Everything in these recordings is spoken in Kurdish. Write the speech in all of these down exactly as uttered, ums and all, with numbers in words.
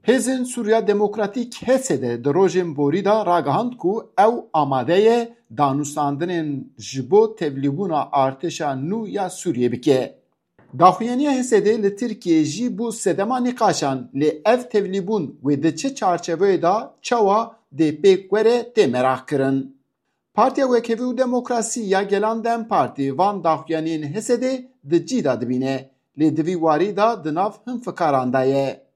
Hêzên Sûriya Demokratîk H S D di rojên borî de ragihand ku ew amade ye danûstandinên ji bo tevlîbûna artêşa nû ya Sûriyê bike. Daxuyaniya H S D li Tirkiyê jî bû sedema nîqaşan, lê ev tevlîbûn wê di çi çarçeveyê de çawa dê pêk were tê meraqkirin. Partiya Wekhevî û Demokrasî ya Gelan DEM Partî van daxuyaniyên H S D di cî de dibîne, lê di vî warî de di nav hin fikaran de ye.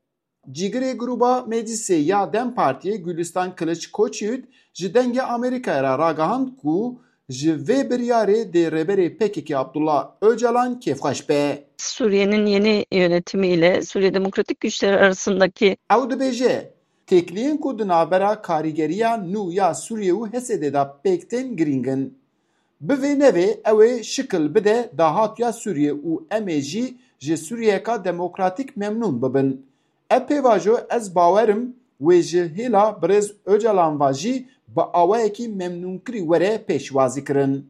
Cîgirê Grûba Meclîsê ya DEM Partiyê Gulîstan Kiliç Koçyiğit ji Dengê Amerîkayê re ragihand ku ji vê biryarê dê rêberê P K K Abdullah Ocalan kêfxweş be. Suriye'nin yeni yönetimi ile Suriye Demokratik Güçleri arasındaki Ew dibêje, têkiliyên ku di navbera karîgeriya nû ya Sûriyê û H S D de pêk tên girîng in. Bi vê nevê ew ê şikil bide dahatuya Sûriyê û em ê jî ji Sûriyeyeka demokratîk memnûn bibin. Ev pêvajo ez bawer im wê ji hêla birêz Ocalan ve jî bi awayekî memnûnkirî were pêşwazîkirin.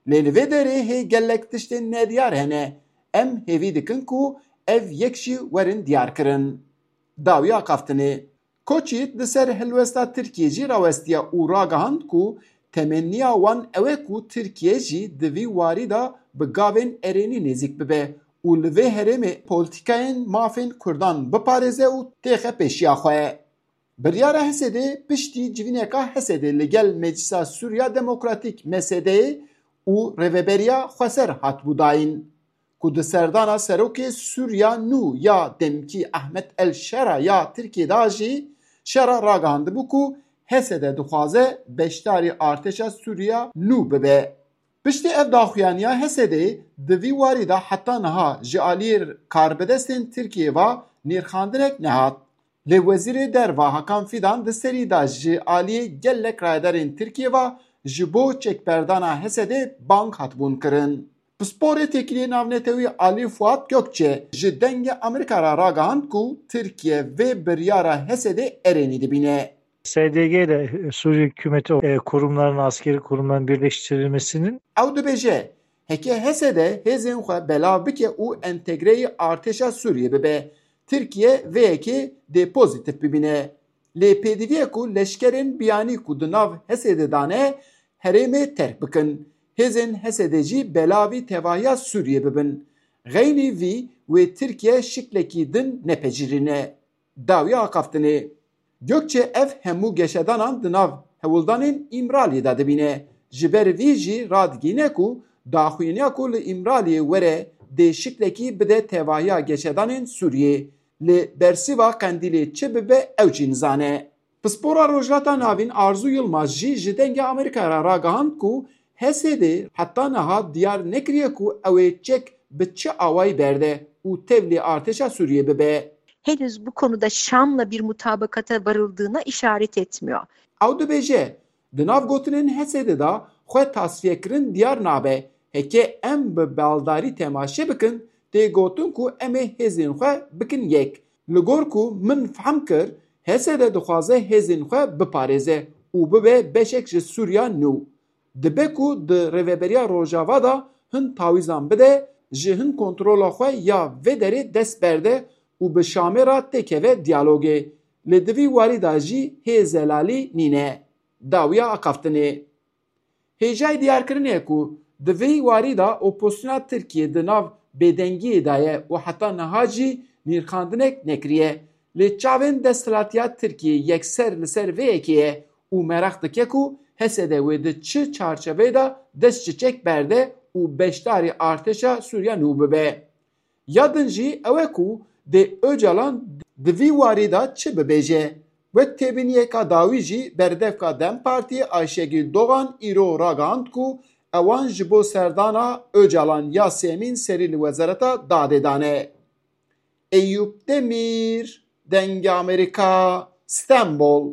Lê li vê derê hê gelek tiştên nediyar hene. Em hêvî dikin ku ev yek jî werin diyarkirin. Dawiya axaftinê. Koçyiğit li ser helwesta Tirkiyê jî rawestiye û ragihand ku temenniya wan ew e ku Tirkiye jî di vî warî de bi gavên erênî nêzîk bibe û li vê herêmê polîtîkayên mafên Kurdan biparêze û têxe pêşiya xwe. Biryara H S D piştî civîneka H S D li gel Meclisa Sûriya Demokratîk, M S D'yê, û Rêveberiya Xweser hatibû dayîn. Ku di serdana serokê Sûriya nû ya demkî Ahmet El Şera ya Tirkiyê de jî Şera ragihandibû ku H S D dixwaze beşdarî artêşa Sûriya nû bibe. Piştî ev daxuyaniya H S D'ê di vî warî de heta niha ji aliyê karbidestên Tirkiyê ve nirxandinek nehat. Lê Wezîrê Derve Hakan Fidan di serî de ji aliyê gelek rayedarên Tirkiyê ve ji bo çekberdana H S D'ê bang hatibûn kirin. Pisporê Têkiliyê Navnetewî Alî Fuat Gökçe ji Dengê Amerîka re ragihand ku Tirkiye vê biryara H S D'ê erênî dibîne. S D G ile Suriye hükümeti e, kurumların, askeri kurumların birleştirilmesinin Ew dibêje, heke H S D hêzên xwe belav bike û entegreyî artêşa Sûriyê bibe, Tirkiye vê yekê dê pozîtîf bibîne. Lê pêdivî ye ku leşkerên biyanî ku di nav H S D de ne, herêmê terk bikin. Hêzên H S D jî belavî tevahiya Sûriyê bibin. Xeynî vî wê Tirkiye şiklekî din nepejirîne. Dawiya axaftinê. Gökçe ev hemû geşedanan di nav hewldanên Îmraliyê de dibîne. Ji ber vî jî radigihîne ku daxuyaniya ku li Îmraliyê were dê şiklekî bide tevahiya geşedanên Sûriyê. Li Bersîva Qendîlê çi bibe ew jî nizane. Pispora Rojhilata Navîn Arzu Yilmaz jî ji Dengê Amerîka re ragihand ku H S D heta niha diyar nekiriye ku ew ê çek bi çi awayî berde û tevlî artêşa Sûriyê bibe. Henüz bu konuda Şam'la bir mutabakata varıldığına işaret etmiyor. Ew dibêje, di nav gotinên H S D de xwe tasfiyekirin diyar nabe. Heke em bi baldarî temaşe bikin, tê gotin ku em ê hêzên xwe bikin yek. Li gor ku min fehm kir, H S D dixwaze hêzên xwe biparêze û bibe beşek ji Sûriya nû. Dibe ku di Rêveberiya Rojava de hin tawîzan bide, ji hin kontrola xwe ya vê derê dest berde û bi Şamê re têkeve diyalogê. Lê di vî warî de jî hê zelalî nîne. Dawiya axaftinê. Hêjayî diyarkirinê ye ku di vî warî de opozisyona Tirkiyê di nav bêdengiyê de ye û heta niha jî nirxandinek nekiriye. Lê çavên desthilatiya Tirkiyê yekser li ser vê yekê ye û meraq dike ku H S D wê di çi çarçeveyê de dest ji çek berde û beşdarî artêşa Sûriya nû bibe. Ya din jî ew e ku dê Ocalan di vî warî de çi bibêje. Wek têbîniyeka dawî jî berdevka DEM Partiyê Ayşegül Doğan îro ragihand ku ewan ji bo serdana Ocalan ya sêmîn serî li Wezareta Dadê dane. Eyûp Demîr, Dengê Amerîka, Stenbol.